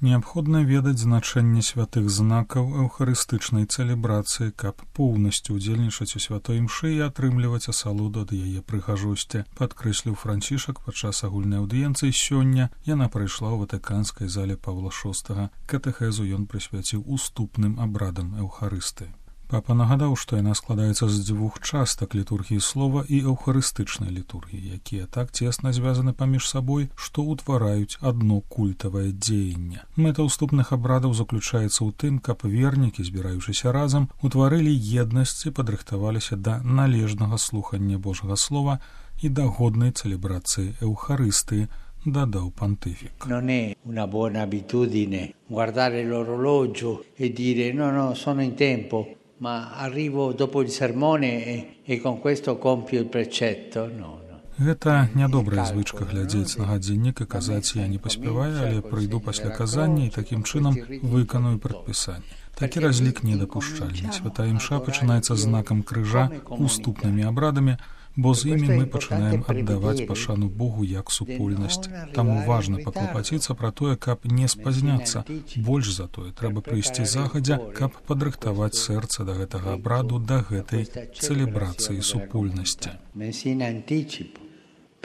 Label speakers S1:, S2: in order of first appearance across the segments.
S1: Неабходна ведаць значэнне святых знакаў эўхарыстычнай цэлебрацыі, каб поўнасцю ўдзельнічаць у святой імшы і атрымліваць асалоду ад яе прыгажосці, падкрэсліў Францішак падчас агульнай аўдыенцыі сёння. Яна прайшла ў ватыканскай зале Паўла VI. Катэхезу ён прысвяціў уступным абрадам эўхарыстыі. Папа нагадаў, што яна складаецца з дзвюх частак літургіі слова і эўхарыстычнай літургіі, якія так цесна звязаны паміж сабой, што ўтвараюць адно культавае дзеянне. Мэта ўступных абрадаў заключаецца ў тым, каб вернікі, збіраючыся разам, утварылі еднасць і падрыхтаваліся да належнага слухання Божага слова і да годнай цэлебрацыі эўхарыстыі, дадаў пантыфік.
S2: Non è una buona abitudine guardare l'orologio e dire no, sono in tempo. Ma arrivo dopo il sermone e con questo compio il precetto. No.
S1: Гэта нядобрая звычка глядзець на гадзіннік і казаць: я не паспяваю, але прыйду пасля казання і такім чынам выканую прадпісанне. Такі разлік недапушчальны. Святая імша пачынаецца знакам крыжа, уступнымі абрадамі, бо з імі мы пачынаем аддаваць пашану Богу як супольнасць. Таму важна паклапаціцца пра тое, каб не спазняцца. Больш за тое, трэба прыйсці загадзя, каб падрыхтаваць сэрца да гэтага абраду, да гэтай цэлебрацыі супольнасці.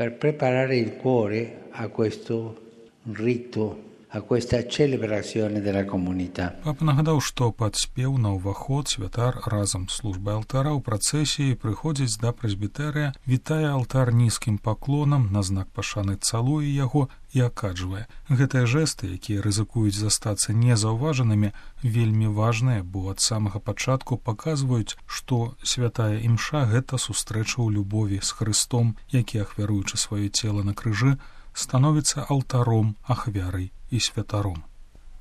S2: Per preparare il cuore a questo rito, a questa celebrazione della comunità.
S1: Папа нагадаў, што пад спеў на ўваход святар разам з службай алтара ў працэсіі прыходзіць да прэзбітэрыя, вітае алтар нізкім паклонам, на знак пашаны цалуе яго і акаджвае. Гэтыя жэсты, якія рызыкуюць застацца незаўважанымі, вельмі важныя, бо ад самага пачатку паказваюць, што святая імша — гэта сустрэча ў любові з Хрыстом, які, ахвяруючы сваё цела на крыжы, становіцца алтаром, ахвярай і святаром.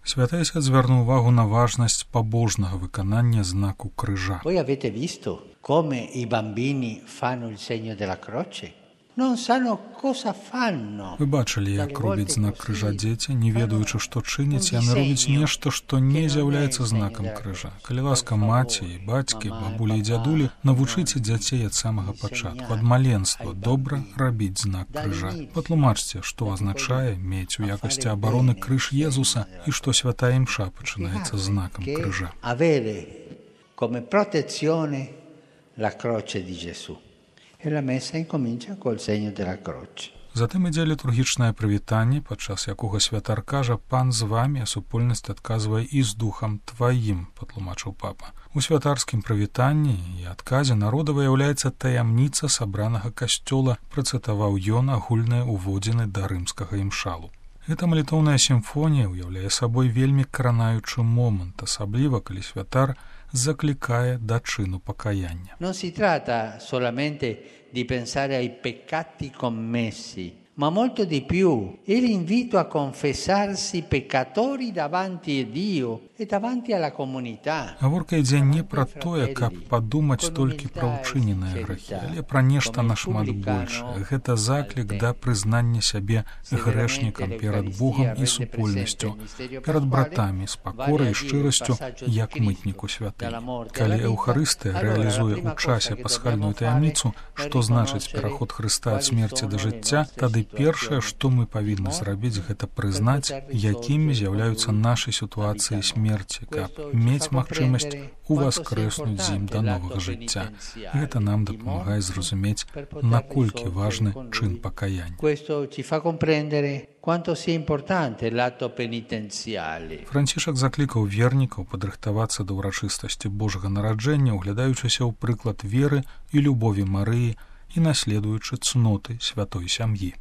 S1: Святы Отец звярнуў увагу на важнасць пабожнага выканання знаку крыжа.
S2: Voi avete visto come i bambini fanno il segno della croce? Non sanno cosa fanno.
S1: Вы бачылі, як робяць знак крыжа дзеці, не ведаючы, што чыняць, яны робяць нешта, што не з'яўляецца знакам крыжа. Калі ласка, маці і бацькі, бабулі і дзядулі, навучыце дзяцей ад самага пачатку, ад маленства, добра рабіць знак крыжа. Патлумачце, што азначае мець у якасці абароны крыж Езуса і што святая імша пачынаецца знакам крыжа.
S2: Avere come protezione la croce di Gesù. E la messa incomincia col segno della croce.
S1: Затым ідзе літургічнае прывітанне, падчас якога святар кажа: «Пан з вамі», а супольнасць адказвае: «І з духам тваім», патлумачыў папа. У святарскім прывітанні і адказе народа выяўляецца таямніца сабранага касцёла, працытаваў ён агульныя ўводзіны да рымскага імшалу. Гэта малітоўная сімфонія ўяўляе сабой вельмі кранаючы момант, асабліва калі святар закликає до чину покаяння.
S2: Non si tratta solamente di pensare ai peccati commessi, ma molto di più. È l'invito a confessarsi peccatori davanti a Dio e davanti alla comunità.
S1: Гаворка ідзе не пра тое, каб падумаць толькі пра ўчыненыя грэхі, але пра нешта нашмат большае. Гэта заклік да прызнання сябе грэшнікам перад Богам і супольнасцю, перад братамі, з пакорай і шчырасцю, як мытніку святы. Калі Эўхарыстыя рэалізуе ў часе пасхальную таямніцу, што значыць пераход Хрыста ад смерці да жыцця, тады першае, што мы павінны зрабіць, гэта прызнаць, якімі з'яўляюцца нашы сітуацыі смерці, каб мець магчымасць уваскрэснуць з ім да новага жыцця. Гэта нам дапамагае зразумець, наколькі важны чын пакаяння. Францішак заклікаў вернікаў падрыхтавацца да ўрачыстасці Божага нараджэння, углядаючыся ў прыклад веры і любові Марыі і наследуючы цноты святой сям'і.